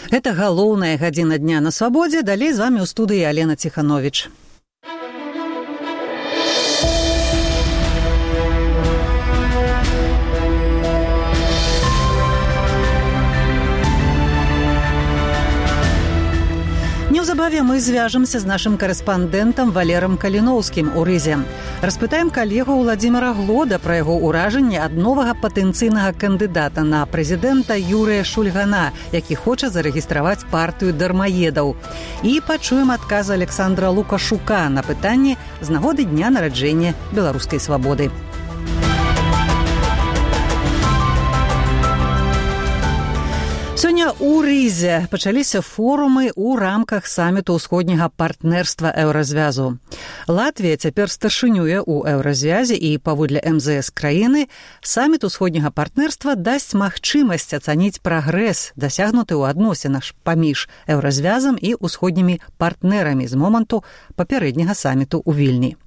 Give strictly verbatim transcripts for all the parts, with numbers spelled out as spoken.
Гэта галоўная гадзіна дня на свабодзе. Далей з вамі ў студыі Алена Ціхановіч. Неўзабаве мы звяжемся з нашым карэспандэнтам Валерам Каліноўскім у Рызе. Распытаем калегу Владзіміра Глода пра яго ўражанне ад новага патэнцыйнага кандыдата на прэзідэнта Юрыя Шульгана, які хоча зарэгістраваць партыю дармаедаў. І пачуем адказ Александра Лукашука на пытанні з нагоды дня нараджэння беларускай свабоды. Сёння ў Рызе пачаліся форумы ў рамках саміту ўсходняга партнерства Еўразвязу. Латвія цяпер старшынюе ў Еўразвязе і паводле эм зэ эс краіны саміт усходняга партнерства дасць магчымасць ацаніць прагрэс, дасягнуты ў адносінах паміж Еўразвязам і усходнімі партнерамі з моманту папярэдняга саміту ў Вільні.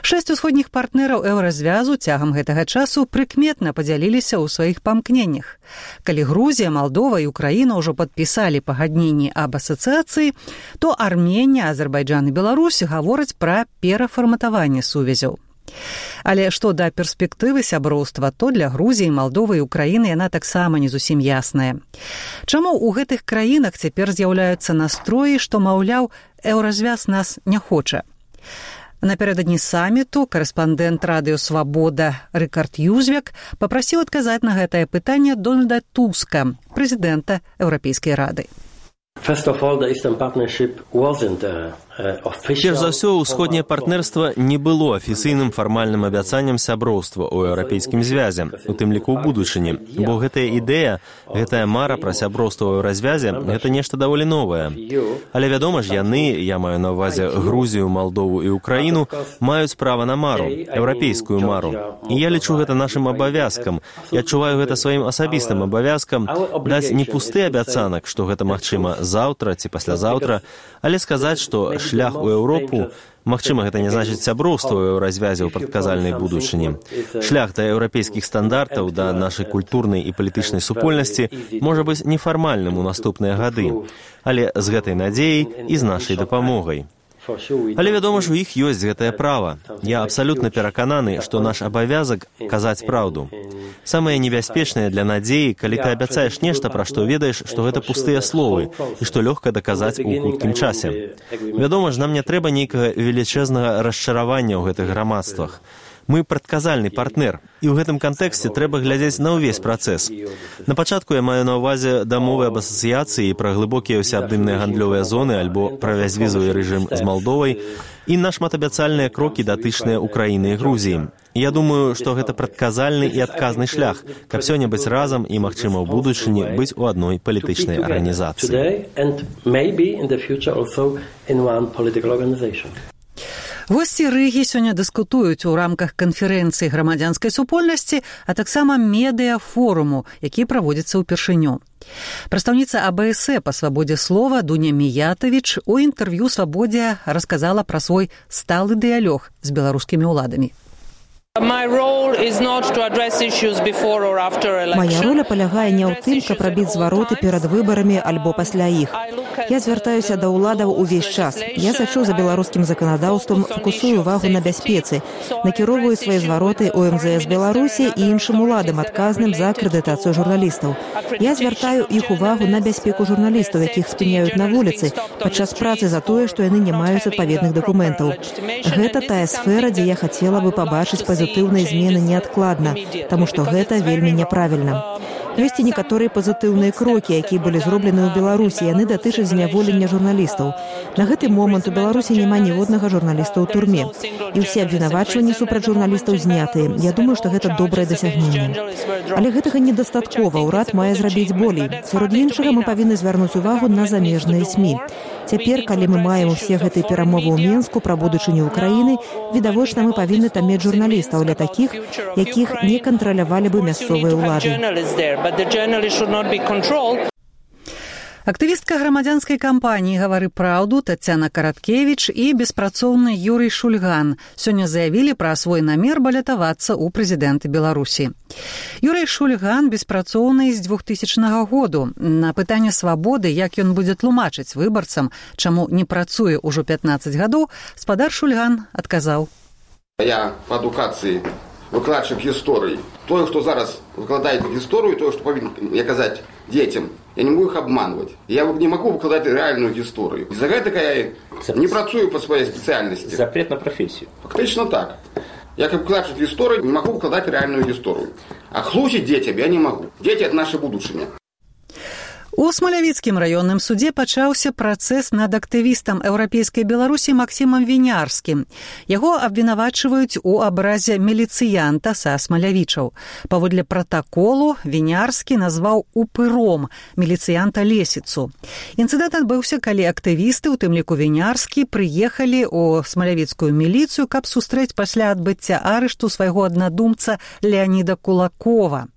Шэсць усходніх партнераў Еўразвязу цягам гэтага часу прыкметна падзяліліся ў сваіх памкненнях. Калі Грузія, Малдова і Украіна ўжо падпісалі пагадненні аб асацыяцыі, то Арменія, Азербайджан і Беларусь гавораць пра перафарматаванне сувязяў. Але што да перспектывы сяброўства, то для Грузіі, Малдовы і Украіны яна таксама не зусім ясная. Чаму ў гэтых краінах цяпер з'яўляюцца настроі, што, маўляў, Еўразвяз нас не хоча? Напярэдадні саміту карэспандэнт радыё «Свабода» Рыкард Юзвек папрасіў адказаць на гэтае пытанне Дональда Туска, прэзідэнта Еўрапейскай рады. Перш за ўсё, усходняе партнерства не было афіцыйным фармальным абяцаннем сяброўства ў еўрапейскім звязе, у тым ліку ў будучыні, бо гэтая ідэя, гэтая мара пра сяброўства ў еўразвязе – гэта нешта даволі новае. Але, вядома ж, яны, я маю на ўвазе Грузію, Малдову і Украіну, маюць права на мару, еўрапейскую мару. І я лічу гэта нашым абавязкам. Я адчуваю гэта сваім асабістым абавязкам даць не пусты абяцанак, што гэта магчыма заўтра ці паслязаўтра, але сказаць, што шлях у Еўропу, магчыма, гэта не значыць сяброўства ў еўразвязе ў прадказальнай будучыні. Шлях да еўрапейскіх стандартаў, да нашай культурнай і палітычнай супольнасці можа быць нефармальным у наступныя гады, але з гэтай надзеяй і з нашай дапамогай. Але, вядома ж, у іх ёсць гэтае права. Я абсалютна перакананы, што наш абавязак казаць праўду. Самае небяспечнае для надзеі, калі ты абяцаеш нешта, пра што ведаеш, што гэта пустыя словы і што лёгка даказаць у хуткім часе. Вядома ж, нам не трэба нейкага велічэзнага расчаравання ў гэтых грамадствах. Мы прадказальны партнер, і ў гэтым кантэксце трэба глядзець на ўвесь працэс. На пачатку я маю на ўвазе дамовы аб асацыяцыі пра глыбокія ўсеабдымныя гандлёвыя зоны альбо пра бязвізавы рэжым з Малдовай і на шматабяцальныя крокі датычныя Украіны і Грузіі. Я думаю, што гэта прадказальны і адказны шлях, каб сёння быць разам і, магчыма, ў будучыні быць у адной палітычнай арганізацыі. Госці Рыгі сёння дыскутуюць у рамках канферэнцыі грамадзянскай супольнасці, а таксама медыа-форуму, які праводзіцца ўпершыню. Прадстаўніца а бэ эс э па свабодзе слова Дуня Міятавіч у інтэрв'ю «Свабодзе» расказала пра свой сталы дыялог з беларускімі ўладамі. Моя роля палягае не ў тым, каб рабіць звароты перад выбарамі альбо пасля іх. Я звяртаюся да ўладаў увесь час. Я сачу за беларускім заканадаўствам, фокусую увагу на бяспецы, накіроўваю свае звароты ў эм зэ эс Беларусі і іншым уладам, адказным за акрэдытацыю журналістаў. Я звяртаю іх увагу на бяспеку журналістаў, якіх спыняюць на вуліцы падчас працы за тое, што яны не маюць адпаведных дакументаў. Гэта тая сфера, дзе я хацела бы пабачыць пазітыўныя змены неадкладна, таму што гэта вельмі няправільна. Ёсць і некаторыя пазітыўныя крокі, якія былі зроблены ў Беларусі, яны датычаць зняволення журналістаў. На гэты момант у Беларусі няма ніводнага журналіста ў турме. І ўсе абвінавачванні супраць журналістаў знятыя. Я думаю, што гэта добрае дасягненне. Але гэтага недастаткова, урад мае зрабіць болей. Сярод іншага мы павінны звярнуць увагу на замежныя СМІ. Цяпер, калі мы маем усе гэтыя перамовы ў Менску пра будучыню Украіны, відавочна мы павінны там мець журналістаў для такіх, якіх не кантралявалі бы мясцовыя ўлады. Актывістка грамадзянскай кампаніі «Гавары праўду» Тацяна Караткевіч і беспрацоўны Юрый Шульган сёння заявілі пра свой намер балятавацца ў прэзідэнты Беларусі. Юрый Шульган беспрацоўны з двухтысячнага году. На пытанне свабоды, як ён будзе тлумачыць выбарцам, чаму не працуе ўжо пятнаццаць гадоў, спадар Шульган адказаў. Я па адукацыі выкладчык гісторыі. Той, хто зараз выкладае гісторыю, той, што павінен казаць дзецям, я не могу их обманывать. Я не могу выкладаць реальную гісторыю. Из-за гэтага я не працую по своей спецыяльнасці. Запрет на профессию. Фактично так. Я как выкладчык гісторыі не могу выкладаць реальную гісторыю. А хлусіць дзецям я не могу. Дети – это наше будучыня. У Смалявіцкім раённым судзе пачаўся працэс над актывістам еўрапейскай Беларусі Максімам Вінярскім. Яго абвінавачваюць у абразе міліцыянта са Смалявічаў. Паводле пратаколу Вінярскі назваў упыром міліцыянта Лесіцу. Інцыдэнт адбыўся, калі актывісты, у тым ліку Вінярскі, прыехалі ў смалявіцкую міліцыю, каб сустрэць пасля адбыцця арышту свайго аднадумца Леаніда Кулакова.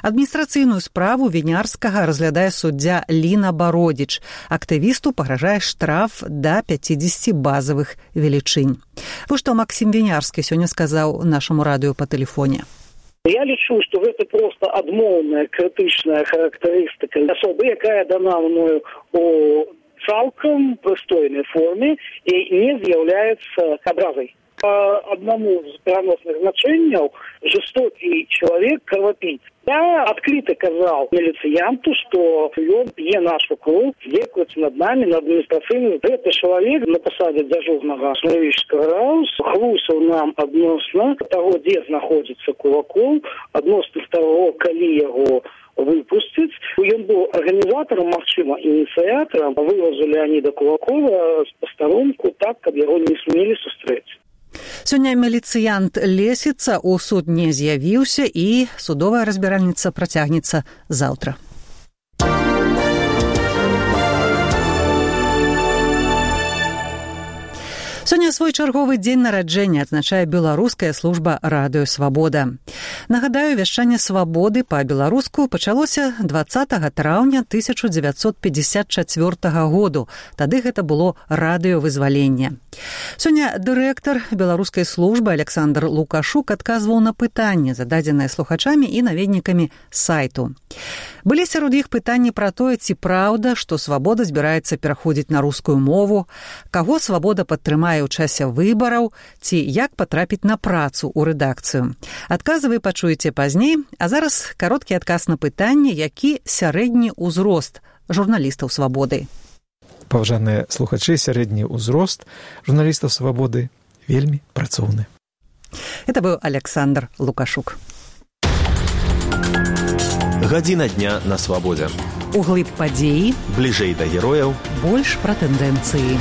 Адміністрацыйную справу Вінярскага разглядае суддзя Ліна Бародзіч. Актывісту пагражае штраф да пяцідзесяці базавых велічынь. Вось што Максім Вінярскі сёння сказаў нашаму радыё па тэлефоне. Я лічу, што гэта проста адмоўная крытычная характарыстыка асобы, якая дана мною у цалкам прыстойнай форме і не з'яўляецца абразай. По одному из переносных значений жестокий человек кровопийц. Я открыто сказал милициянту, что он пьет нашу кровь, здекуется над нами, над административным. Этот человек на посаде дежурного Смолявічского рауса хлусил нам относно того, где находится Кулаков, относно того, коли его выпустить. Он был организатором, магчыма, инициатором вывозу Леонида Кулакова с посторонку так, как его не смели сустрэць. Сёння міліцыянт Лесіца ў суд не з'явіўся і судовая разбіральніца працягнецца заўтра. Сёння свой чарговы дзень нараджэння адзначае беларуская служба радыё «Свабода». Нагадаю, вяшчанне «Свабоды» па-беларуску пачалося дваццатага траўня тысяча дзевяцьсот пятьдесят чацвёртага году. Тады гэта было радыёвызваленне. Сёння дырэктар беларускай службы Александр Лукашук адказваў на пытанні, зададзеныя слухачамі і наведнікамі сайту. Былі сярод іх пытанні пра тое, ці праўда, што «Свабода» збіраецца пераходзіць на рускую мову, каго «Свабода» падтрымае ў часе выбараў, ці як патрапіць на працу ў рэдакцыю. Адказы вы пачуеце пазней, а зараз кароткі адказ на пытанне, які сярэдні ўзрост журналістаў «Свабоды». Паважаныя слухачы, сярэдні ўзрост журналістаў «Свабоды» вельмі працоўны. Это быў Александр Лукашук. Гадзіна дня на «Свабодзе». Углыб падзеі, бліжэй да герояў, больш пра тэндэнцыі.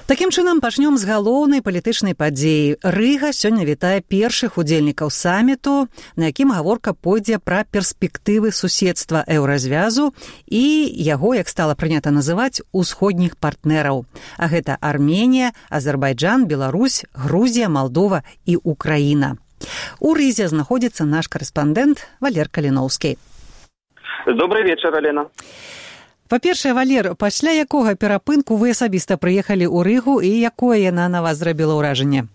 Такім чынам, пачнём з галоўнай палітычнай падзеі. Рыга сёння вітае першых удзельнікаў саміту, на якім гаворка пойдзе пра перспектывы суседства еўразвязу і яго, як стала прынята называць, усходніх партнераў. А гэта Арменія, Азербайджан, Беларусь, Грузія, Малдова і Украіна. У Рызе знаходзіцца наш карэспандэнт Валер Каліноўскі. Добрый вечер, Алена. Па-першае, Валер, пасля якога перапынку вы асабіста прыехалі ў Рыгу і якое яна на вас зрабіла ўражанне?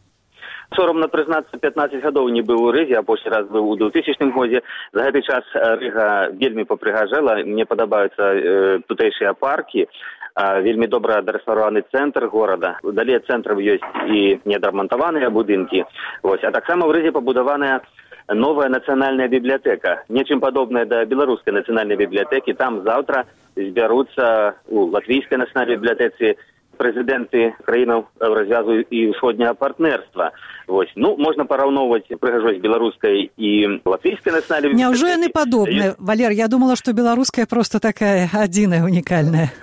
Соромна прызнацца, пятнаццаць гадоў не быў у Рызе, а апошні раз быў у двухтысячным годзе. За гэты час Рыга вельмі папрыгажэла, мне падабаюцца э, тутэйшыя паркі, а, вельмі добра адарэсаваны цэнтр горада. Далей ад цэнтраў ёсць і неадрамантаваныя будынкі. Вось. А таксама ў Рызе пабудаваная новая нацыянальная бібліятэка, нечым падобная да беларускай нацыянальнай бібліятэкі. Там заўтра збяруцца у латвійскай нацыянальнай бібліятэцы прэзідэнты краінаў еўразвязу і ўсходняга партнерства. Вось. Ну, можна параўноўваць прыгажосць беларускай і латвійскай нацыянальнай бібліятэкі. Няўжо яны падобныя? Валер, я думала, што беларуская проста такая адзіная, унікальная.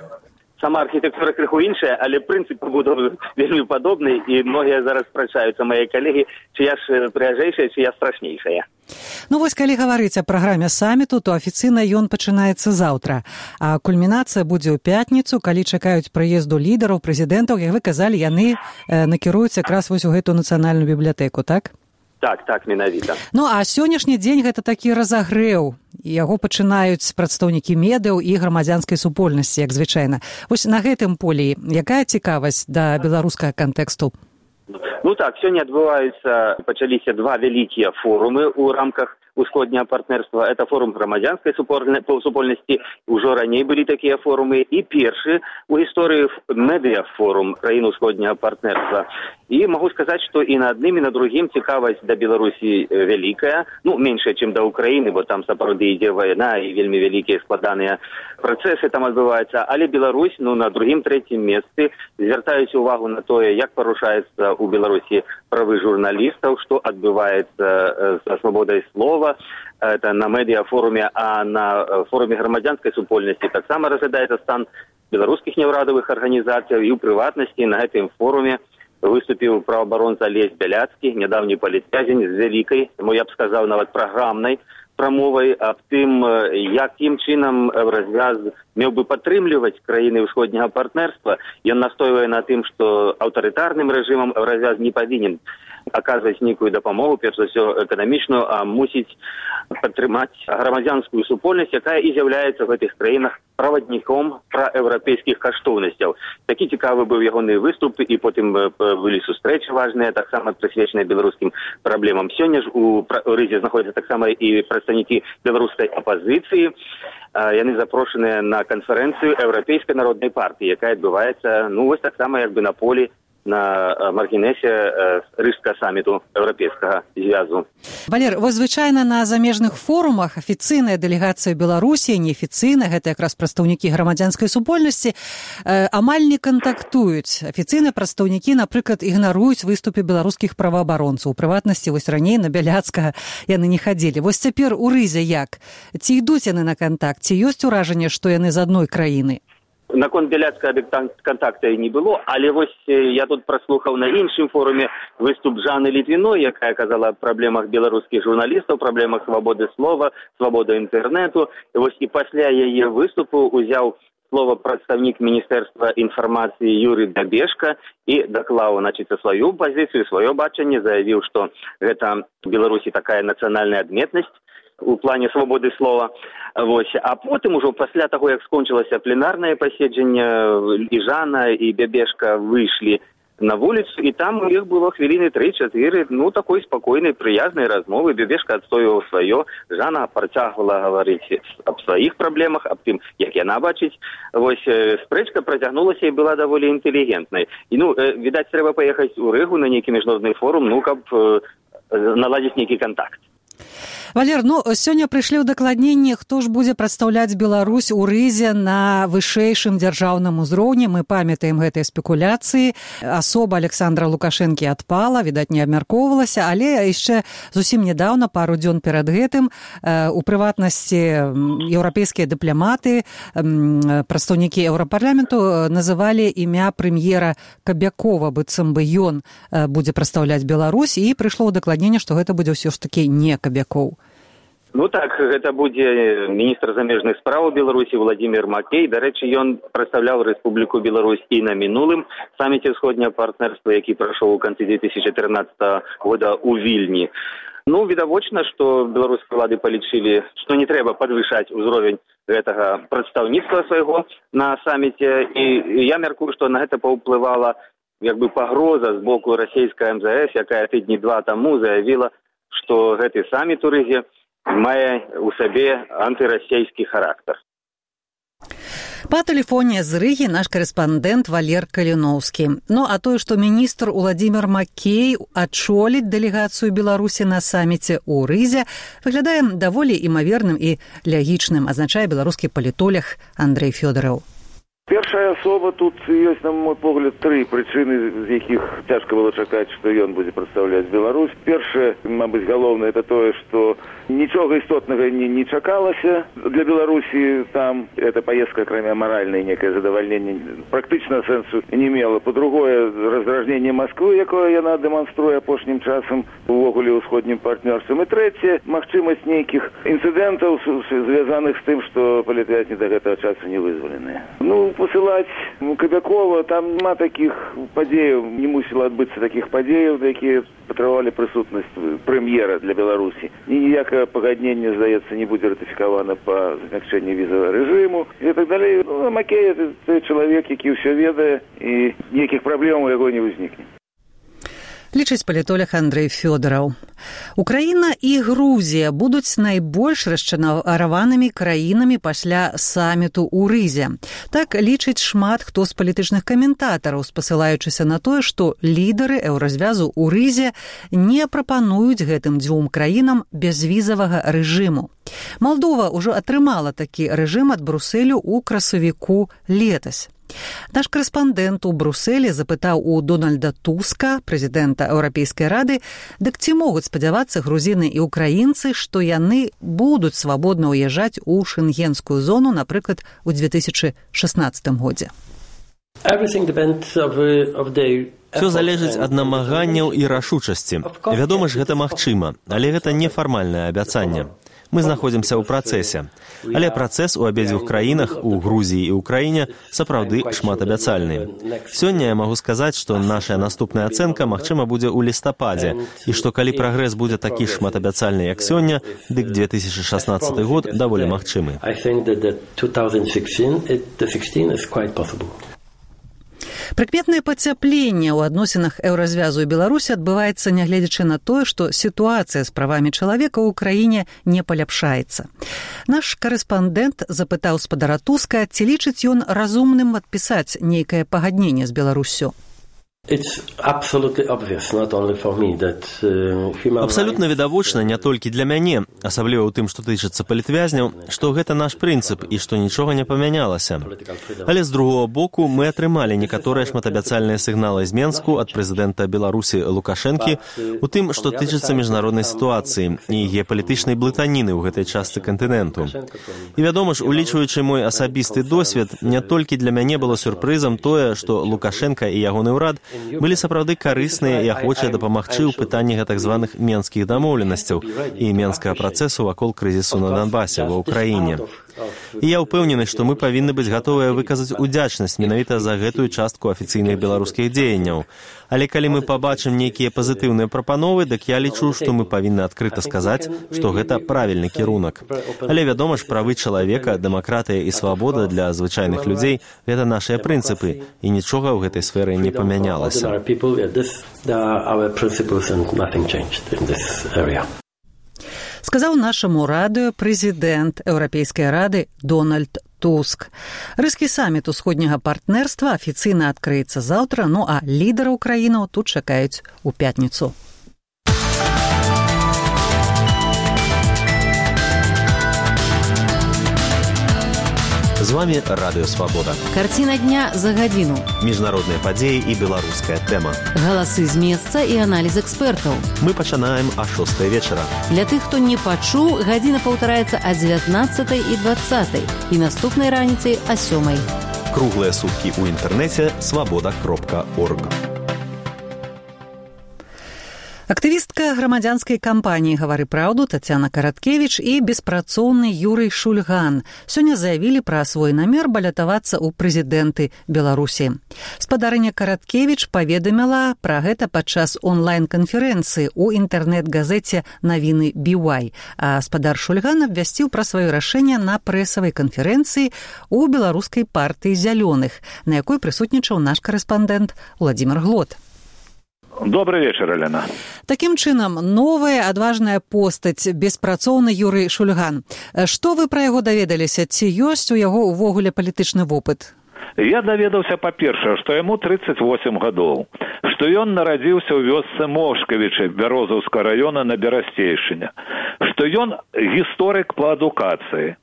Сама архітэктура крыху іншая, але прынцып пабудовы вельмі падобны, і многія зараз спрачаюцца, мае калегі, чи я ж прыгажэйшая, чи я страшнейшая. Ну вось, калі гаварыць о праграме саміту, то афіцыйна ён пачынаецца заўтра. А кульмінацыя будзе ў пятніцу, калі чакаюць прыезду лідараў, прэзідэнтаў, як вы казалі, яны э, накіруюць якраз вось у гэту нацыянальную бібліятэку, так? Так, так, менавіта. Ну, а сённяшні дзень гэта такі разагрэў. Яго пачынаюць прадстаўнікі медыяў і грамадзянскай супольнасці, як звычайна. Вось на гэтым полі якая цікавасць да беларускага кантэксту? Ну так, сёння адбываюцца, пачаліся два вялікія форумы ў рамках усходняга партнерства. Это форум грамадзянскай супольнасці, ужо раней былі такія форумы, і першы у гісторыі медыафорум краін усходняга партнерства. І магу сказаць, што і на адным, і на другім цікавасць да Беларусі вялікая, ну, меншая, чым да Украіны, бо там сапраўды ідзе вайна і вельмі вялікія складаныя працэсы там адбываюцца, але Беларусь, ну, на другім, трэцім месцы звяртаюць увагу на тое, як парушаецца у Беларусі правы журналістаў, што адбываецца са свабодай слова, это на медыафоруме, а на форуме грамадзянскай супольнасці таксама разглядаецца стан беларускіх неўрадавых арганізацый, і ў прыватнасці на гэтым форуме выступіў праваабаронца Алесь Бяляцкі, нядаўні палітвязень з вялікай, тому я б сказаў, нават праграмнай прамовай аб тым, якім чынам развяз меў бы падтрымліваць краіны ўсходняга партнерства. Ён настойвае на тым, што аўтарытарным рэжымам развяз не павінен аказваць нейкую дапамогу, перш за ўсё эканамічную, а мусіць падтрымаць грамадзянскую супольнасць, якая і з'яўляецца в гэтых краінах правадніком праеўрапейскіх каштоўнасцяў. Такі цікавы быў ягоны выступ, і потым былі сустрэчы важныя, таксама прысвечаныя беларускім праблемам. Сёння ж у Рызе знаходзяцца таксама і прадстаўнікі беларускай апазіцыі. Яны запрошаныя на канферэнцыю Еўрапейскай народнай партыі, якая адбываецца, ну, вось таксама як бы на полі, на маргінесе Рыжскага саміту Еўрапейскага звязу. Валер, вось звычайна на замежных форумах афіцыйная дэлегацыя Беларусі, неафіцыйная, гэта якраз прадстаўнікі грамадзянскай супольнасці, э, амаль не кантактуюць. Афіцыйныя прадстаўнікі, напрыклад, ігнаруюць выступы беларускіх праваабаронцаў. У прыватнасці, вось раней на Бяляцкага яны не хадзілі. Вось цяпер у Рызе як? Ці ідуць яны на кантакт? Ці ёсць уражанне, што яны з адной краіны? Наконт Бяляцкага кантакта і не было, але вось я тут праслухаў на іншым форуме выступ Жанны Літвіной, якая казала аб праблемах беларускіх журналістаў, праблемах свабоды слова, свабоды інтэрнэту. І вось і пасля яе выступу узяў слова прадстаўнік Міністэрства інфармацыі Юрый Дабешка і даклаў, значыць, сваю пазіцыю, сваё бачанне, заявіў, што гэта в Беларусі такая нацыянальная адметнасць у плане свабоды слова. Вось. А потым ужо пасля таго, як скончылася пленарнае паседжанне, і Жанна, і Бябешка выйшлі на вуліцу, і там у іх было хвіліны тры-чатыры, ну, такой спакойнай, прыязнай размовы. Бябешка адстойваў сваё, Жанна працягвала гаварыць аб сваіх праблемах, аб тым, як яна бачыць. Вось спрэчка працягнулася і была даволі інтэлігентнай. І, ну, відаць, трэба паехаць у Рыгу на нейкі міжнародны форум, ну, каб наладзіць нейкі кантакт. Валер, ну, сёння прыйшлі ўдакладненні, хто ж будзе прадстаўляць Беларусь у Рызе на вышэйшым дзяржаўным узроўні. Мы памятаем гэтыя спекуляцыі. Асоба Александра Лукашэнкі адпала, відаць, не абмяркоўвалася, але яшчэ зусім нядаўна, пару дзён перад гэтым, у прыватнасці еўрапейскія дыпламаты, прадстаўнікі Еўрапарламенту называлі імя прэм'ера Кабякова, быццам бы ён будзе прадстаўляць Беларусь, і прыйшло ўдакладненне, што гэта будзе ўсё ж такі не Кабякоў. Ну так, гэта будзе міністр замежных спраў Беларусі Владимир Макей. Дарэчы, ён прадстаўляў Рэспубліку Беларусь і на мінулым саміце ўсходняга партнерства, які прайшоў у канцы две тысячи тринадцатого года у Вільні. Ну, відавочна, што беларускія ўлады палічылі, што не трэба падвышаць узровень гэтага прадстаўніцтва свайго на саміце, і я мяркую, што на гэта паўплывала як бы пагроза з боку расійскай эм зэ эс, якая тыдні два таму заявіла, што гэты саміт у Рызе мае ў сабе антырасійскі характар. Па тэлефоне з Рыгі наш карэспандэнт Валер Каліноўскі. Ну, а тое, што міністр Владимир Макей ачоліць дэлегацыю Беларусі на саміце ў Рызе, выглядае даволі імаверным і лягічным, азначае беларускі палітолог Андрэй Фёдораў. Першая асоба, тут ёсць, на мой погляд, тры прычыны, з якіх цяжка было чакаць, што ён будзе прадстаўляць Беларусь. Першае, мабыць, галоўнае, это тое, што нічога істотнага не, не чакалася для Беларусі там. Эта поездка, акрамя маральнай некае задавальненне, практычна сэнсу не мела. По-другое, раздражненне Масквы, якое яна дэманструе апошнім часам увогуле ўсходнім партнёрствам. І трэцяе, магчымасць нейкіх інцыдэнтаў, звязаных з тым, што палітвязні да гэтага часу не вызваленыя. Ну, посылаць Кабякова, там няма такіх падзеяў, не мусіла адбыцца такіх падзеяў, якія прадэманстравалі прысутнасць прэм'ера для Беларусі. Ніякае пагадненне, здаецца, не будзе ратыфікавана па змякчэнні візавага рэжыму і так далей. Ну, Макей – це чалавек, які ўсё ведае, і ніякіх праблем у яго не ўзнікне. Лічыць палітолог Андрэй Фёдораў. Украіна і Грузія будуць найбольш расчараванымі краінамі пасля саміту ў Рызе. Так лічыць шмат хто з палітычных каментатараў, спасылаючыся на тое, што лідары еўразвязу ў Рызе не прапануюць гэтым дзвюм краінам бязвізавага рэжыму. Малдова ўжо атрымала такі рэжым ад Брусэлю ў красавіку летась. Наш корэспандэнт у Брусэлі запытаў у Дональда Туска, прэзідэнта Еўрапейскай рады, дык ці могуць спадзявацца грузіны і ўкраінцы, што яны будуць свабодна ўязджаць у шэнгенскую зону, напрыклад, у две тысячы шаснаццатым годзе. Все залежыць ад намаганняў і рашучасці. Вядома ж, гэта магчыма, але гэта нефармальнае абяцанне. Мы знаходзімся ў працэсе. Але працэс у абедзвюх краінах, у Грузіі і ўкраіне, сапраўды шматабяцальны. Сёння я магу сказаць, што наша наступная ацэнка, магчыма, будзе ў лістападзе, і што калі прагрэс будзе такі шматабяцальны, як сёння, дык две тысячы шаснаццаты год даволі магчымы. Прыкметнае пацяпленне ў адносінах еўразвязу і Беларусі адбываецца, нягледзячы на тое, што сітуацыя з правамі чалавека ў краіне не паляпшаецца. Наш корэспандэнт запытаў спадара Туска, ці лічыць ён разумным падпісаць нейкае пагадненне з Беларуссю. Абсалютна відавочна не толькі для мяне, асабліва ў тым, што тычыцца палітвязняў, што гэта наш прынцып і што нічога не памянялася. Але з другого боку мы атрымалі некаторыя шматабяцальныя сігналы з Менску ад прэзідэнта Беларусі Лукашэнкі у тым, што тычыцца міжнароднай сітуацыі і геапалітычнай блытаніны ў гэтай частцы кантыненту. І вядома ж, улічваючы мой асабісты досвед, не толькі для мяне было сюрпрызам тое, што Лукашэнка і ягоны ўрад былі сапраўды карысныя і ахвочыя дапамагчы ў пытанні гэтак званых менскіх дамоўленасцяў і менскага працэсу вакол крызісу на Донбасе ва ўкраіне. І я ўпэўнены, што мы павінны быць гатовыя выказаць удзячнасць менавіта за гэтую частку афіцыйных беларускіх дзеянняў. Але калі мы пабачым нейкія пазітыўныя прапановы, дык я лічу, што мы павінны адкрыта сказаць, што гэта правільны кірунак. Але, вядома ж, правы чалавека, дэмакратыя і свабода для звычайных людзей – гэта нашыя прынцыпы, і нічога ў гэтай сферы не памянялася. Сказаў нашаму радыё прэзідэнт Еўрапейскай рады Дональд Туск. Рыскі саміт усходняга партнерства афіцыйна адкрыецца заўтра, ну а лідараў краінаў тут чакаюць у пятніцу. З вами Радыё Свабода. Карціна дня за гадзіну. Міжнародныя падзеі і беларуская тэма. Галасы з месца і аналіз экспертаў. Мы пачынаем а шостай вечара. Для тых, хто не пачуў, гадзіна паўтараецца а дзевятнаццатай і дваццатай і наступнай раніцай а сёмай. Круглыя суткі ў інтэрнэце свабода кропка орг. Актывістка грамадзянскай кампаніі «Гавары праўду» Тацяна Караткевіч і беспрацоўны Юрый Шульган сёння заявілі пра свой намер балятавацца ў прэзідэнты Беларусі. Спадарыня Караткевіч паведаміла пра гэта падчас онлайн-канферэнцыі ў інтэрнэт-газеце «Навіны би уай», а спадар Шульган абвясціў пра сваё рашэнне на прэсавай канферэнцыі ў беларускай партыі «Зялёных», на якой прысутнічаў наш корэспандэнт Владзімир Глот. Добрый вечер, Елена. Таким чынам, новая адважная постаць, беспрацоўны Юрый Шульган. Што вы пра яго даведаліся? Ці ёсць у яго ўвогуле палітычны вопыт? Я даведаўся, па-першае, што яму тридцать восемь гадоў, што ён нарадзіўся ў вёсцы Мошкавічы Бярозаўскага раёна на Берасцейшчыне, што ён гісторык па адукацыі.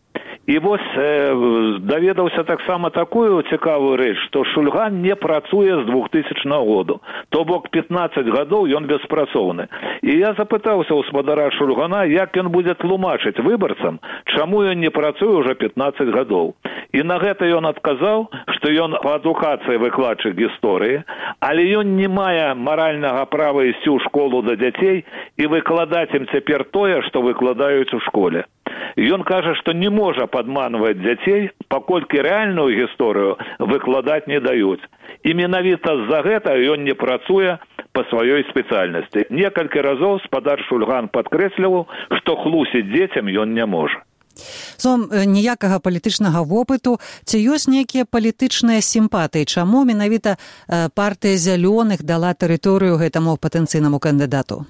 І вось э, даведаўся таксама такую цікавую рэч, што Шульган не працуе з двухтысячнага году, то бок пятнаццаць гадоў ён беспрацоўны. І я запытаўся ў спадара Шульгана, як ён будзе тлумачыць выбарцам, чаму ён не працуе ўжо пятнаццаць гадоў. І на гэта ён адказаў, што ён па адукацыі выкладчык гісторыі, але ён не мае маральнага права ісці ў школу да дзяцей і выкладаць ім цяпер тое, што выкладаюць у школе. Ён кажа, што не можа падманваць дзяцей, паколькі рэальную гісторыю выкладаць не даюць. І менавіта з-за гэта ён не працуе по своей специальности. Несколько разов спадар Шульган подкрэсліваў, што хлусіць дзецям ён не можа. Сом ніякага палітычнага вопыту, ці ёсць нейкія палітычныя сімпатыі? Чаму менавіта партыя зялёных дала тэрыторыю гэтаму патэнцыйнаму кандыдату?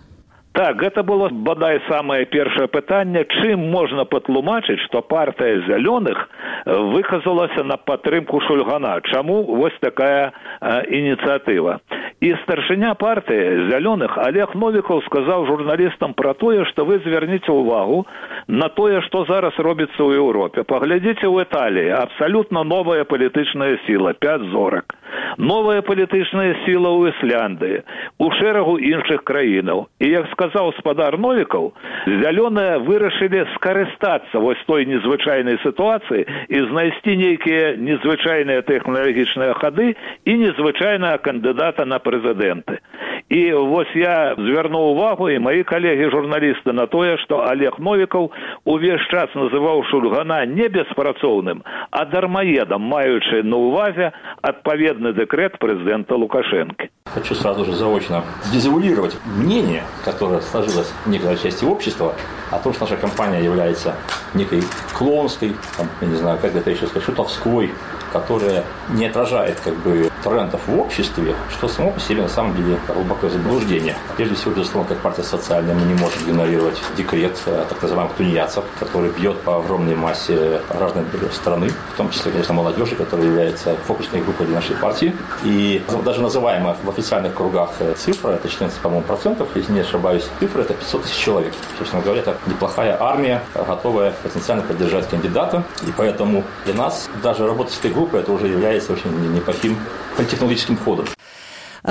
Так, гэта было, бадай, самае першае пытанне, чым можна патлумачыць, што партыя зялёных выказалася на падтрымку Шульгана. Чаму вось такая э, ініцыятыва? І старшыня партыі зялёных Олег Новікаў сказаў журналістам пра тое, што вы звярніце ўвагу на тое, што зараз робіцца ў Еўропе. Паглядзіце ў Італіі, абсалютна новая палітычная сіла, пяць зорак. Новая палітычная сіла ў Ісляндыі, у шэрагу іншых краінаў. І, як сказаў спадар Новікаў, зялёныя вырашылі скарыстацца вось той незвычайнай сітуацыі і знайсці нейкія незвычайныя тэхналагічныя хады і незвычайнага кандыдата на прэзідэнты. І вось я звярнуў увагу, і маі калегі-журналісты, на тое, што Олег Новікаў увесь час называў Шульгана не беспрацоўным, а дармаедам, маючы на ўвазе адпаведны дэкрэт президента Лукашенко. Хочу сразу же заочно дезавуалировать мнение, которое сложилось в некоторой части общества, о том, что наша компания является некой клоунской, там, я не знаю, как это еще сказать, шутовской, которая не отражает как бы трендов в обществе, что само по себе на самом деле глубокое заблуждение. Прежде всего, безусловно, как партия социальная, мы не можем игнорировать декрет так называемых тунеядцев, который бьет по огромной массе граждан страны, в том числе, конечно, молодежи, которая является фокусной группой для нашей партии. И даже называемая в официальных кругах цифра, это четырнадцать, по-моему, процентов, если не ошибаюсь, цифра это пятьсот тысяч человек. Собственно говоря, это неплохая армия, готовая потенциально поддержать кандидата. И поэтому для нас даже работа с этой группой это уже является очень неплохим политтехнологическим ходом.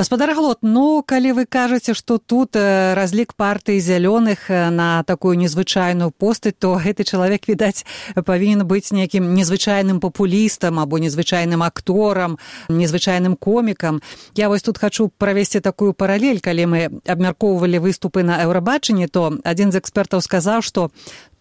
Спадар Глот, ну, калі вы кажаце, што тут разлік партыі зялёных на такую незвычайную постаць, то гэты чалавек, відаць, павінен быць нейкім незвычайным папулістам або незвычайным акторам, незвычайным комікам. Я вось тут хачу правесці такую паралель, калі мы абмяркоўвалі выступы на Еўрабачанні, то адзін з экспертаў сказаў, што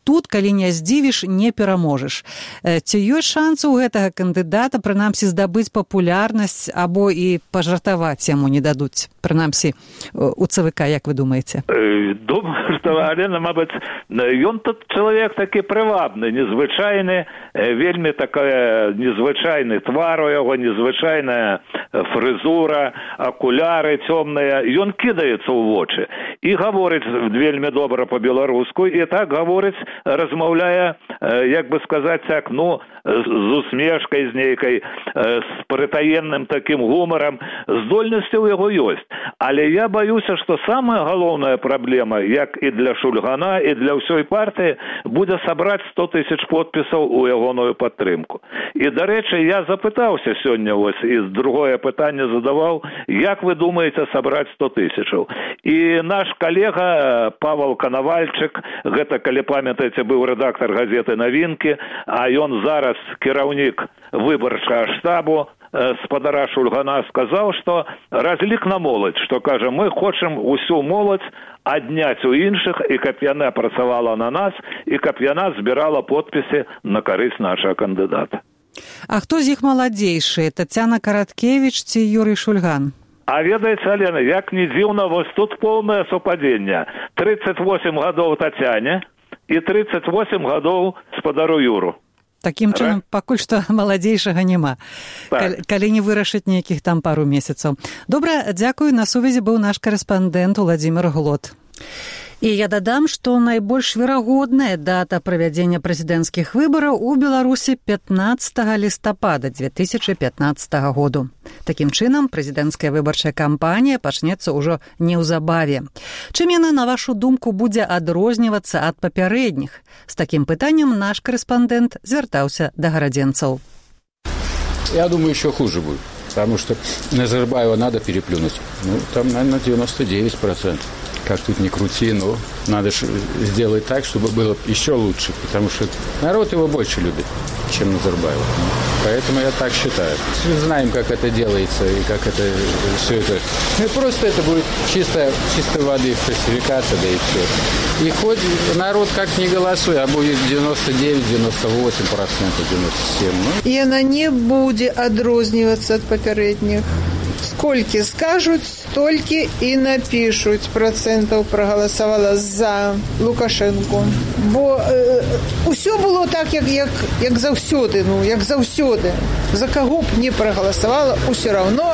тут, калі не здзівіш, не пераможаш. Ці ёсць шансы ў гэтага кандыдата, прынамсі, здабыць папулярнасць або і пажартаваць яму не дадуць? Прынамсі, у ЦВК, як вы думаеце? Думаю, што, Алена, мабыць, ён тут чалавек такі прывабны, незвычайны, вельмі такая незвычайны твар у яго, незвычайная фрызура, акуляры цёмныя. Ён кідаецца ў вочы і гаворыць вельмі добра па-беларуску, і так гаворыць, размаўляе, як бы сказаць так, ну, з усмешкай, з нейкай, з прытаенным такім гумарам, здольнасці ў яго ёсць. Але я баюся, што самая галоўная праблема, як і для Шульгана, і для ўсёй партыі, будзе сабраць сто тысяч подпісаў у ягоную падтрымку. І, дарэчы, я запытаўся сёння, ось, і другое пытанне задаваў, як вы думаеце сабраць сто тысячаў? І наш калега Павел Канавальчык, гэта, калі памятаеце, быў рэдактар газеты «Навінкі», а ён зараз кіраўнік выбарчага штабу спадара Шульгана, сказаў, што разлік на моладзь, што, кажа, мы хочам усю моладзь адняць у іншых, і каб яна працавала на нас, і каб яна збірала подпісы на карысць нашага кандыдата. А хто з іх маладзейшы? Тацяна Караткевіч ці Юрый Шульган? А ведаеце, Алена, як не дзіўна, вось тут поўнае супадзенне. тридцать восемь гадоў Тацяне і тридцать восемь гадоў спадару Юру. Такім чынам, пакуль што маладзейшага няма, так. калі, калі не вырашыць нейкіх там пару месяцаў. Добра, дзякую, на сувязі быў наш карэспандэнт Уладзімір Глот. І я дадам, што найбольш верагодная дата правядзення прэзідэнцкіх выбараў у Беларусі пятнадцатага лістапада две тысячы пятнаццатага году. Такім чынам, прэзідэнцкая выбарчая кампанія пачнецца ўжо неўзабаве. Чым яна, на вашу думку, будзе адрознівацца ад папярэдніх? З такім пытаннем наш карэспандэнт звяртаўся да гарадзенцаў. Я думаю, еще хуже будет, потому что Назарбаева надо переплюнуть. Ну, там, наверное, девяносто девять процентов. Как тут ни крути, но надо сделать так, чтобы было еще лучше, потому что народ его больше любит, чем Назарбаева. Поэтому я так считаю. Мы знаем, как это делается и как это все это. Ну, просто это будет чисто, чистой воды фальсификация, да и все. И хоть народ как не голосует, а будет девяносто девять девяносто восемь процентов, девяносто семь процентов. Ну. И она не будет отрозниваться от попередних. Сколькі скажуть, столькі і напишуть процентів проголосувала за Лукашенко. Бо е, усе було так, як, як, як завсюди, ну, як завсюди. За кого б не проголосувала, усе одно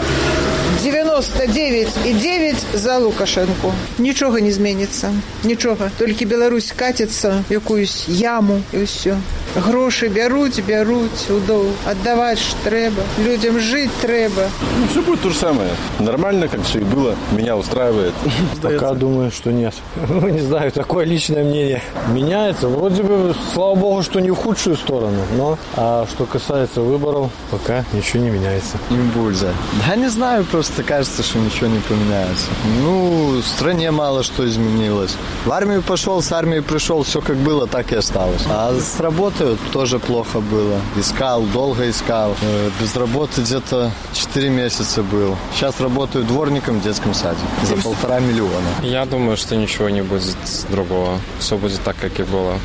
дев'яносто дев'ять і дев'ять за Лукашенко. Нічого не зміниться. Нічого. Тільки Білорусь катиться в якусь яму і все. Гроші беруть, беруть, удов. Отдавати ж треба. Людям жити треба. Ну, все будет то же самое. Нормально, как все и было. Меня устраивает. Пока думаю, что нет. Ну, не знаю, такое личное мнение. Меняется. Вроде бы, слава богу, что не в худшую сторону. Но, а что касается выборов, пока ничего не меняется. Импульса. Да не знаю, просто кажется, что ничего не поменяется. Ну, в стране мало что изменилось. В армию пошел, с армии пришел, все как было, так и осталось. А с работы тоже плохо было. Искал, долго искал. Без работы где-то четыре месяца был. Сейчас работаю дворником в детском саде за полтора миллиона. Я думаю, что ничего не будет другого. Все будет так, как и было.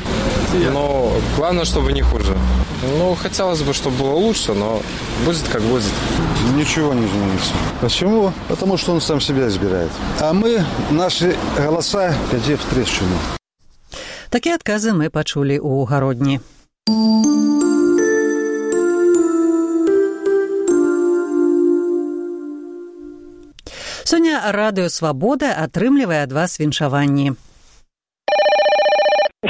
Но главное, чтобы не хуже. Ну, хотелось бы, чтобы было лучше, но будет как будет. Ничего не изменится. Почему? Потому что он сам себя избирает. А мы, наши голоса, где в трещину. Такі адказы мы пачулі ў Гародні. Сёння радыё «Свабода» атрымлівае ад вас віншаванні.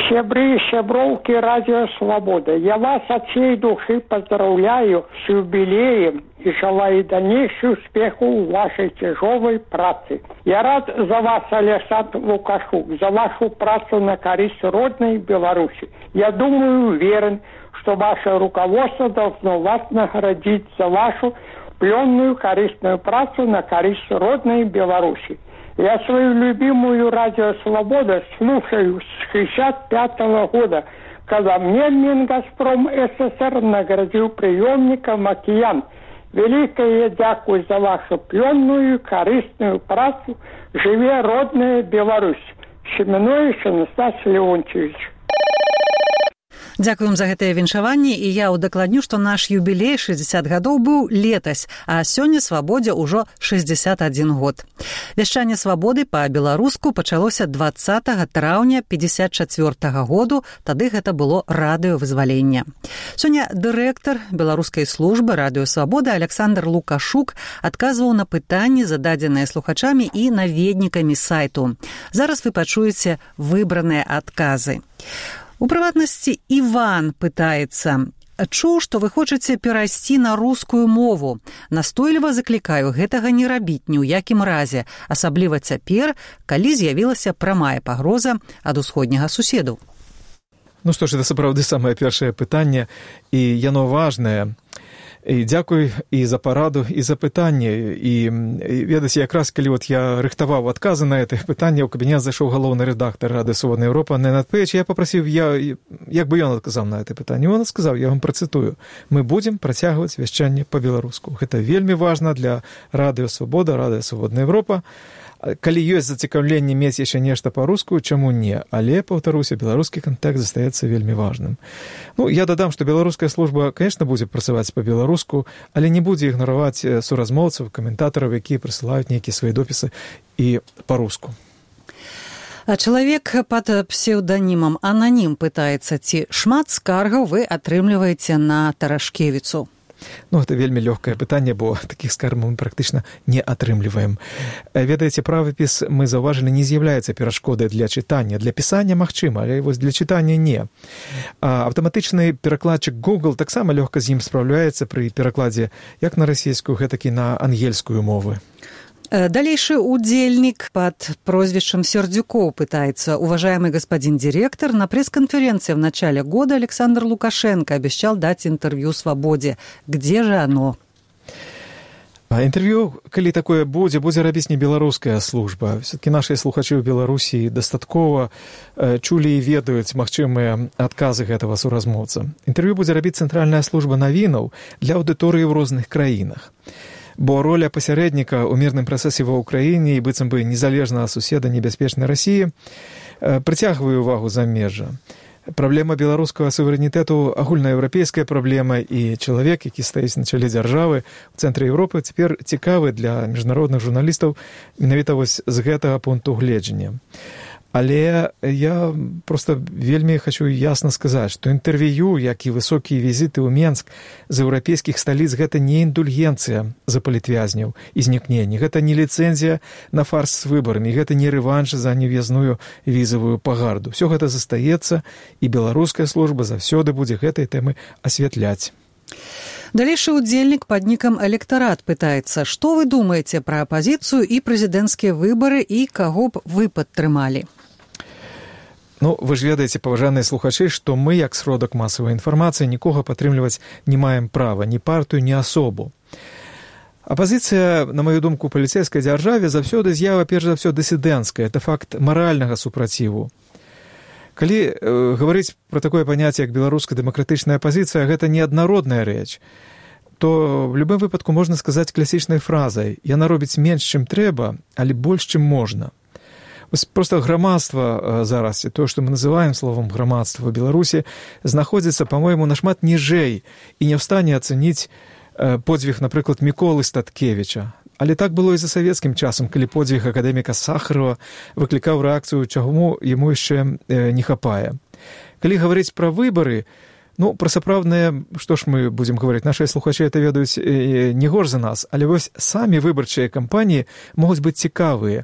Сябры, сяброўкі радио «Свобода», я вас от всей души поздравляю с юбилеем и желаю дальнейших успехов в вашей тяжелой праце. Я рад за вас, Александр Лукашук, за вашу працу на користь родной Беларуси. Я думаю, уверен, что ваше руководство должно вас наградить за вашу пленную корыстную працу на користь родной Беларуси. Я свою любимую радио «Свобода» слушаю с шестьдесят пятого года, когда мне Мингазпром СССР наградил приемником «Океан». Великое дякую за вашу пленную корыстную працу. Живе родная Беларусь. Семенович Анастасий Леонтьевич. Дзякуем за гэтыя віншаванні, і я ўдакладню, што наш юбілей шэсцьдзесят гадоў быў летась, а сёння «Свабодзе» ўжо шэсцьдзесят адзін год. Вяшчанне «Свабоды» па-беларуску пачалося дваццатага траўня пятьдесят чацвёртага году, тады гэта было радыё вызвалення. Сёння дырэктар беларускай службы радыё «Свабода» Александр Лукашук адказваў на пытанні, зададзеныя слухачамі і наведнікамі сайту. Зараз вы пачуеце выбраныя адказы. У прыватнасці Іван пытаецца: «Чуў, што вы хочаце перайсці на рускую мову. Настойліва заклікаю гэтага не рабіць ні ў якім разе, асабліва цяпер, калі з'явілася прамая пагроза ад усходняга суседу». Ну што ж, гэта сапраўды самае першае пытанне, і яно важнае. І дзякуй і за параду, і за пытанне. І, ведаце, якраз калі вот я рыхтаваў адказы на гэтых пытанне, у кабінет зайшоў галоўны рэдактар Радыё «Свободная Европа» Ненад Пэйч, я папрасіў, я, як бы ён адказаў на гэтае пытанне. Он сказаў, я вам працытую: «Мы будзем працягваць вяшчанне па-беларуску». Гэта вельмі важна для Радыё «Свобода», Радыё «Свободная Европа». Калі ёсць зацікаўленне мець яшчэ нешта па-руску, чаму не? Але, паўтаруся, беларускі кантакт застаецца вельмі важным. Ну, я дадам, што беларуская служба, конечно, будзе працаваць па-беларуску, але не будзе ігнараваць суразмоўцаў, каментатараў, якія прысылаюць нейкія свае допісы і па-руску. А чалавек пад псеўданімам Ананім пытаецца, ці шмат скаргаў вы атрымліваеце на Тарашкевіцу? Ну, гэта вельмі лёгкае пытанне, бо такіх скаргаў мы практычна не атрымліваем. Ведаеце, правапіс, мы заўважылі, не з'яўляецца перашкодай для чытання. Для пісання магчыма, але вось для чытання не. А аўтаматычны перакладчык Google таксама лёгка з ім спраўляецца пры перакладзе як на расійскую, гэтак і на ангельскую мовы. Далейшы удзельнік под прозвищем Сердюков пытается: уважаемый господин директор, на пресс-конференции в начале года Александр Лукашенко обещал дать интервью «Свободе». Где же оно? А інтэрв'ю, калі такое будзе, будзе рабіць не беларуская служба. Все-таки нашыя слухачы ў Беларусі дастаткова э, чулі і ведаюць магчымыя адказы гэтага суразмоўца. Інтэрв'ю будзе рабіць цэнтральная служба навінаў для аўдыторыі ў розных краінах. Бо роля пасярэдніка ў мірным працэсе ва ўкраіне і быццам бы незалежнага суседа небяспечнай Расіі прыцягвае ўвагу замежжа. Праблема беларускага суверэнітэту агульнаеўрапейская праблема, і чалавек, які стаіць на чале дзяржавы ў цэнтры Еўропы, цяпер цікавы для міжнародных журналістаў менавіта вось з гэтага пункту гледжання. Але я проста вельмі хачу ясна сказаць, што інтэрв'ю, як і высокія візіты ў Менск з еўрапейскіх сталіц, гэта не індульгенцыя за палітвязняў і знікненні, гэта не ліцэнзія на фарс з выбарамі, гэта не рэванш за нев'язную візавую пагарду. Всё гэта застаецца, і беларуская служба заўсёды будзе гэтай тэмы асвятляць. Далейшы удзельнік пад нікам «Электарат» пытаецца, што вы думаеце пра апазіцыю і прэзідэнцкія выбары і каго б вы падтрымалі? Ну, вы ж ведаеце, паважаныя слухачы, што мы, як сродак масавай інфармацыі, нікога падтрымліваць не маем права, ні партыю, ні асобу. Апазіцыя, на маю думку, у паліцэйскай дзяржаве заўсёды з'ява, перш за ўсё, дысідэнцкая. Это факт маральнага супраціву. Калі э, гаварыць пра такое паняцце, як беларуская дэмакратычная апазіцыя, гэта неаднародная рэч, то в любым выпадку можна сказаць класічнай фразай: яна робіць менш, чым трэба, але больш, чым можна. Просто грамадства зараз, то, што мы называем словом грамадства в Беларусі, знаходзіцца, па-мойму, нашмат ніжэй і не ў стане ацэніць подзвіг, напрыклад, Міколы Статкевіча. Але так было і за савецкім часам, калі подзвіг акадэміка Сахарова выклікаў рэакцыю, чаму яму яшчэ не хапае. Калі гаварыць пра выбары, ну, пра сапраўдныя, што ж мы будзем гаварыць, нашыя слухачы это ведаюць не горш за нас, але вось самі выбарчыя кампаніі могуць быць цікавыя.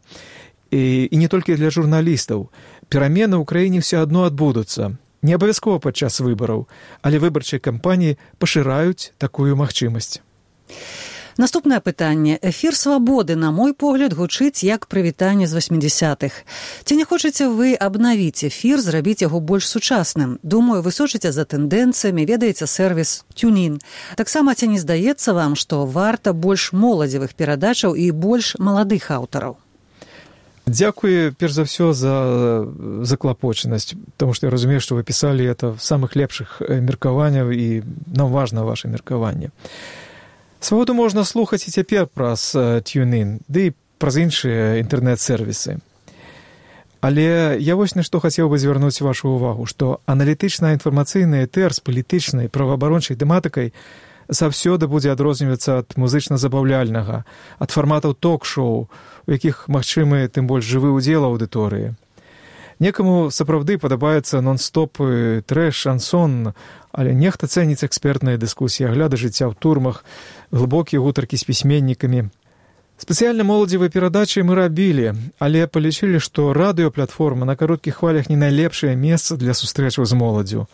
І, і не толькі для журналістаў. Перамены ў краіне ўсё адно адбудуцца. Не абавязкова падчас выбараў, але выбарчыя кампаніі пашыраюць такую магчымасць. Наступнае пытанне. Эфір «Свабоды», на мой погляд, гучыць як прывітанне з васьмідзясятых. Ці не хочаце вы абнавіць эфір, зрабіць яго больш сучасным? Думаю, вы сочыце за тэндэнцыямі, ведаеце сервіс «Тюнін». Таксама ці не здаецца вам, што варта больш моладзевых перадачаў і больш маладых аўтараў? Дзякую, перш за ўсё, за заклапочанасць, тому што я разумею, што вы пісалі это в самых лепшых меркаванняў, і нам важна ваше меркаванне. Свабоду можна слухаць і цяпер праз TuneIn, ды і праз іншыя інтэрнэт-сервісы. Але я вось на што хацеў бы звярнуць вашу ўвагу, што аналітычная інфармацыйная этэр з палітычнай праваабарончай тэматыкай заўсёды будзе адрознівацца ад музычна-забаўляльнага, ад фарматаў ток-шоу, у якіх магчымы тым больш жывы ўдзел аўдыторыі. Некаму сапраўды падабаецца нон-стопы, трэш, шансон, але нехта цэніць экспертныя дыскусіі, агляды жыцця ў турмах, глыбокія гутаркі з пісьменнікамі. Спецыяльна моладзевыя перадачы мы рабілі, але палічылі, што радыёплатформа на кароткіх хвалях не найлепшае месца для сустрэчаў з моладзю.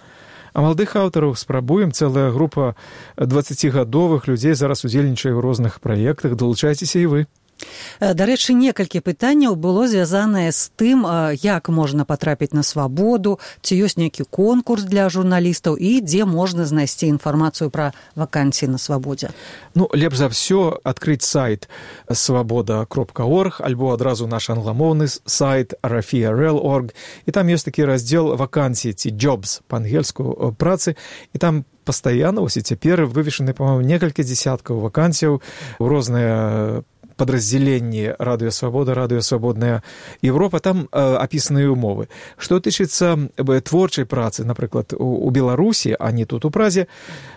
А маладых аўтараў спрабуем, цэлая група дваццацігадовых людзей зараз удзельнічае ў розных праектах, далучайцеся і вы. Дарэчы, некалькі пытанняў было звязанае з тым, як можна патрапіць на свабоду, ці ёсць нейкі конкурс для журналістаў і дзе можна знайсці інфармацыю пра вакансіі на свабодзе. Ну, лепш за ўсё адкрыць сайт свабода кропка орг альбо адразу наш англамоўны сайт рафія крапка эл крапка орг, і там ёсць такі раздзел вакансіі ці jobs па-ангельску працы, і там пастаянна вось і цяпер вывешаны, па-моему, некалькі дзесяткаў вакансіяў у розныя падраздзяленні радыё Свабода, радыё Свабодная Европа, там э, апісаныя ўмовы. Што тычыцца э, творчай працы, напрыклад, у, у Беларусі, а не тут у Празе,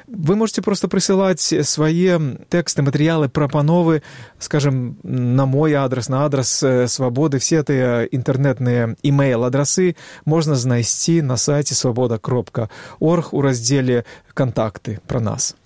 вы можете просто прысылаць свае тэксты, матэрыялы, прапановы, скажем, на мой адрес, на адрес э, Свабоды, все тыя інтэрнэтныя імэйл-адрасы можна знайсці на сайце свабода кропка орг у раздзеле «Кантакты» пра нас.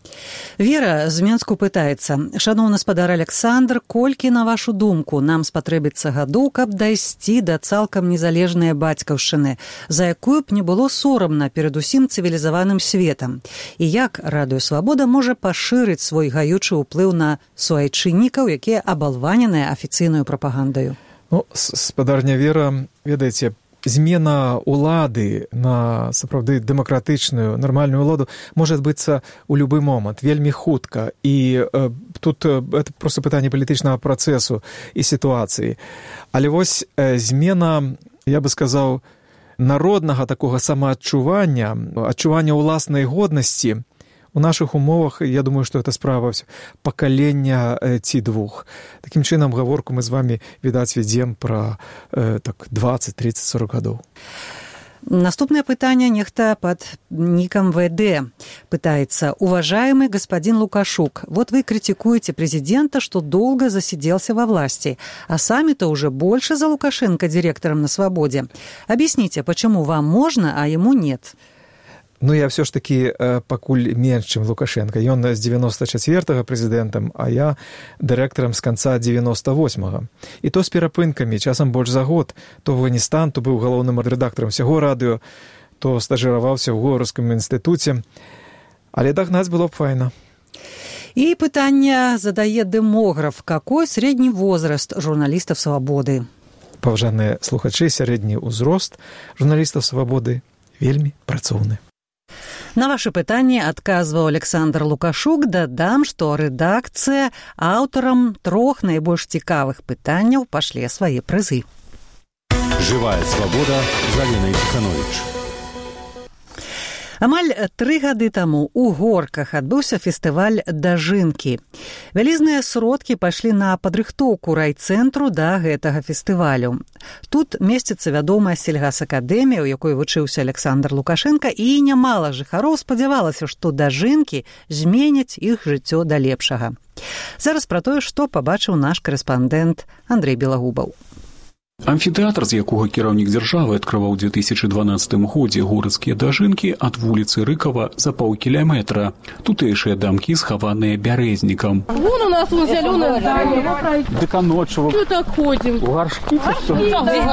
Вера з Менску пытаецца: шаноўны спадар Александр, колькі, на вашу думку, нам спатрэбіцца гадоў, каб дайсці да цалкам незалежнай бацькаўшчыны, за якую б не было сорамна перад усім цывілізаваным светам? І як радыё Свабода можа пашырыць свой гаючы ўплыў на суайчыннікаў, якія абалваненыя афіцыйнаю прапагандаю? Ну, спадарня Вера, ведаеце, змена улады на сапраўды дэмакратычную, нармальную ўладу можа адбыцца ў любы момант, вельмі хутка. І э, тут э, это проста пытанне палітычнага працэсу і сітуацыі. Але вось э, змена, я бы сказаў, народнага такога самаадчування, адчування ўласнай годнасці у нашых умовах, я думаю, што это справа пакалення э, ці двух. Такім чынам, гаворку мы з вами, відаць, вядзем пра э, так, дваццаць, трыццаць, сорок гадоў. Наступное пытание нехта под ником ВД. Пытается: уважаемый господин Лукашук, вот вы критикуете президента, что долго засиделся во власти, а сами-то уже больше за Лукашенко директором на свободе. Объясните, почему вам можно, а ему нет? Ну, я все ж таки э, пакуль менш, чым Лукашенко. Ён з девяносто четвёртого прэзідэнтам, а я дырэктарам з канца девяносто восьмого. І то з перапынкамі, часам больш за год. То в Афганістан, то быў галоўным рэдактарам усяго радыё, то стажыраваўся ў Горскім інстытуце. Але дагнаць было б файна. И пытание задае демограф. Какой средний возраст журналистов «Свободы»? Паважаныя слухачы, сярэдні ўзрост журналістаў «Свободы» вельмі працоўны. На ваше пытанне адказваў Александр Лукашук. Дадам, што рэдакцыя аўтарам трох найбольш цікавых пытанняў пашле свае прызы. Жывая свабода з Аленай Ціхановіч. Амаль тры гады таму у Горках адбыўся фестываль «Дажынкі». Вялізныя сродкі пайшлі на падрыхтоўку райцэнтру да гэтага фестывалю. Тут месціцца вядомая сельгасакадэмія, у якой вучыўся Александр Лукашенко, і нямала жыхароў спадзявалася, што дажынкі зменяць іх жыццё да лепшага. Зараз пра тое, што пабачыў наш корэспандэнт Андрей Белагубаў. Амфітэатр, з якога кіраўнік дзяржавы адкрываў у две тысячи дванаццатым годзе горадскія дажынкі ад вуліцы Рыкава за паўкіляметра. Тутэйшыя дамкі схаваныя бярэзнікам. Вон у нас вон зялёнае здание. Дык а ночью мы так ходим. У гаршкі ці што?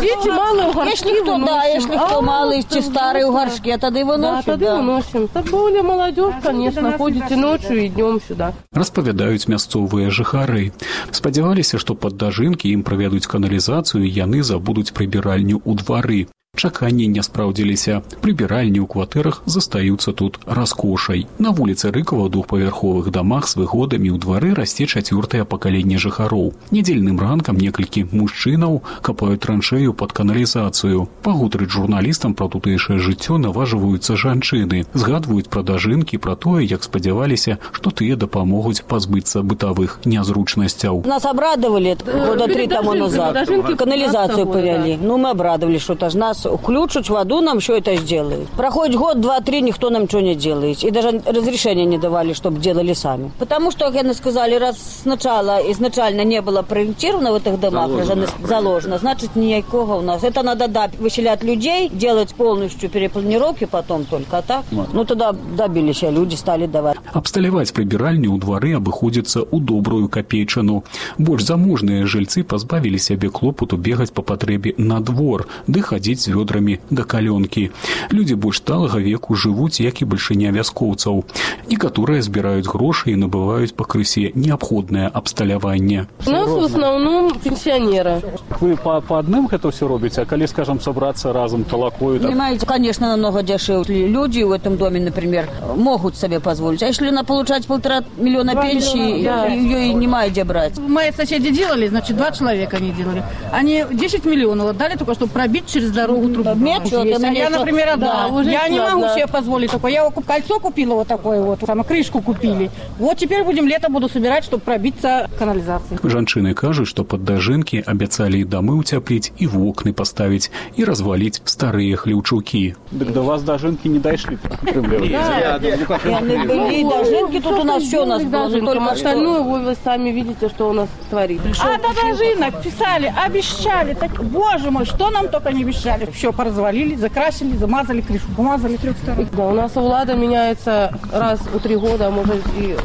Дети малые у горшки. Если кто, да, если кто малый, чи старый у горшке, тады выносим. Да, тады выносим. Так более молодежь, конечно, ходите ночью и днем сюда. Распавядаюць мясцовыя жыхары. Спадзяваліся, што пад дажынкі ім правядуць каналізацыю, яны забудуць прыбіральню ў двары. Чаканні не спраўдзіліся. Прыбіральні ў кватэрах застаюцца тут раскошай. На вуліцы Рыкава ў двухпавярховых дамах з выгодамі ў двары расце чацвёртае пакаленне жыхароў. Нядзельным ранкам некалькі мужчынаў капаюць траншею пад каналізацыю. Пагутарыць журналістам пра тутэйшае жыццё наважваюцца жанчыны. Згадваюць пра дажынкі, пра тое, як спадзяваліся, што тыя дапамогуць пазбыцца бытавых нязручнасцяў. Нас обрадовали года три тому назад. Канализацию повели. Ну, мы обрадовали, что это ж нас включат воду, нам что это сделают. Проходит год, два, три, никто нам ничего не делает. И даже разрешения не давали, чтобы делали сами. Потому что, как они сказали, раз сначала, изначально не было проектировано в этих домах, заложено, заложено значит, никакого у нас. Это надо, да, выселять людей, делать полностью перепланировки потом только, а так. Вот. Ну, тогда добились, люди стали давать. Абсталяваць прыбіральню ў двары абыходзіцца ў добрую капейчыну. Больш заможныя жыльцы пазбавілі сябе клопату бегаць па патрэбе на двор, ды хадзіць з вёдрамі да калёнкі. Людзі больш сталага веку жывуць, як і бальшыня вяскоўцаў. Некаторыя збіраюць грошы і набываюць пакрысе неабходнае абсталяванне. У нас в основном пенсионеры. Вы по, по адным гэта ўсё робіце, а калі, скажем, собраться разом толокою? Понимаете, конечно, намного дешевле. Люди в этом доме, например, могут себе позволить. А если она получать полтора миллиона пенсии, да, ее и не мает где брать. Мои соседи делали, значит, два человека они делали. Они десять миллионов отдали только, чтобы пробить через дорогу трубу. Метр, а я, например, одна. Да, я не могу да. себе позволить такое. Я кольцо купила вот такое вот, там, крышку купили. Вот теперь будем лето буду собирать, чтобы пробиться к канализации. Жанчыны кажуць, што пад дажынкі абяцалі і дамы ўцяпліць, і вокны паставіць, і разваліць старыя хлеўчукі. Дык до вас дажынкі не дайшлі. Да, были дожинки, тут у нас все у нас было, только остальное вы сами видите, что у нас творится. А до дожинок писали, обещали, так, боже мой, что нам только не обещали. Все поразвалили, закрасили, замазали крышу, помазали трех сторон. Да, у нас влада меняется раз в три года, а может и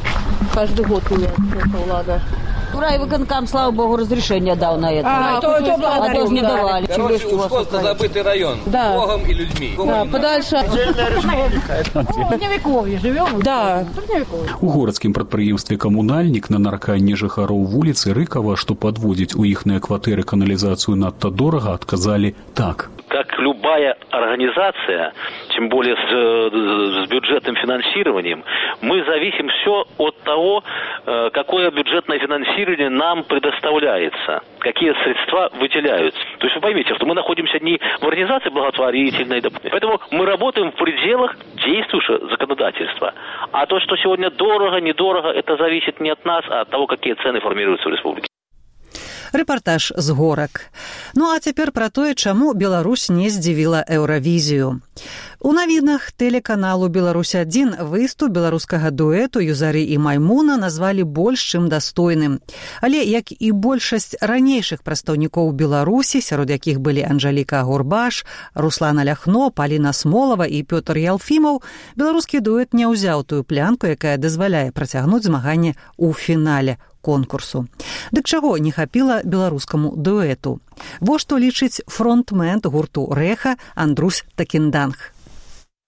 каждый год меняется влада. Райвыконкам, слава богу, разрешение дал на это. А, а то, то, а то не давали. Короче, Ускотно забытый район. Да. Богом и людьми. Да, подальше. Средневековье живем. Да. У городскім прадпрыемстве «Камунальнік» на нарканне жыхароў вуліцы Рыкава, што падводзіць у іхныя кватэры каналізацыю надта дорага, адказалі так. Как любая организация, тем более с, с бюджетным финансированием, мы зависим все от того, какое бюджетное финансирование нам предоставляется, какие средства выделяются. То есть вы поймите, что мы находимся не в организации благотворительной, поэтому мы работаем в пределах действующего законодательства. А то, что сегодня дорого, недорого, это зависит не от нас, а от того, какие цены формируются в республике. Рэпартаж з горак. Ну а цяпер пра тое, чаму Беларусь не здзівіла Еўравізію. У навінах тэлеканалу «Беларусь адзін» выступ беларускага дуэту «Юзары і Маймуна» назвалі больш чым дастойным. Але, як і большасць ранейшых прадстаўнікоў Беларусі, сярод якіх былі Анжаліка Гурбаш, Руслана Ляхно, Паліна Смолава і Пётр Ялфімаў, беларускі дуэт не ўзяў тую плянку, якая дазваляе працягнуць змаганне ў фінале конкурсу. Дык чаго не хапіла беларускаму дуэту? Во што лічыць фронтмен гурту «Рэха» Андрусь Такінданг.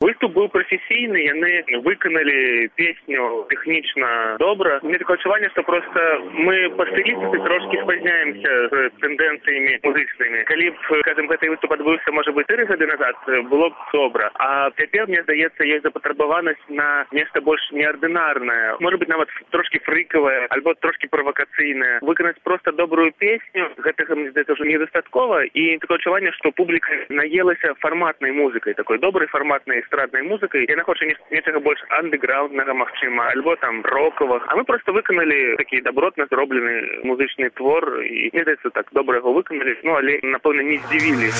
Выступ быў прафесійны, яны выканалі песню тэхнічна добра. У меня такое адчуванне, што проста мы па стылістыцы трошкі спазняемся з тэндэнцыямі музычнымі. Калі б, скажем, гэты выступ адбыўся, можа быць, тры гады назад, было б добра. А цяпер, мне здаецца, ёсць запатрабаванасць на нешта больш неардынарнае. Можа быць, нават трошкі фрыкавае, альбо трошкі правакацыйнае. Выканаць проста добрую песню, гэтага, мне здаецца, ўжо недастаткова. І такое адчуванне, што публіка наелася фарматнай музыкай, такой добрай фарматнай эстраднай музыкай. Яна хоча нечага больш андэграўнднага, магчыма, альбо там рокавых. А мы проста выканалі такі добротна зроблены музычны твор, і мне здаецца, так добра яго выканалі, ну але напэўна не здзівілі.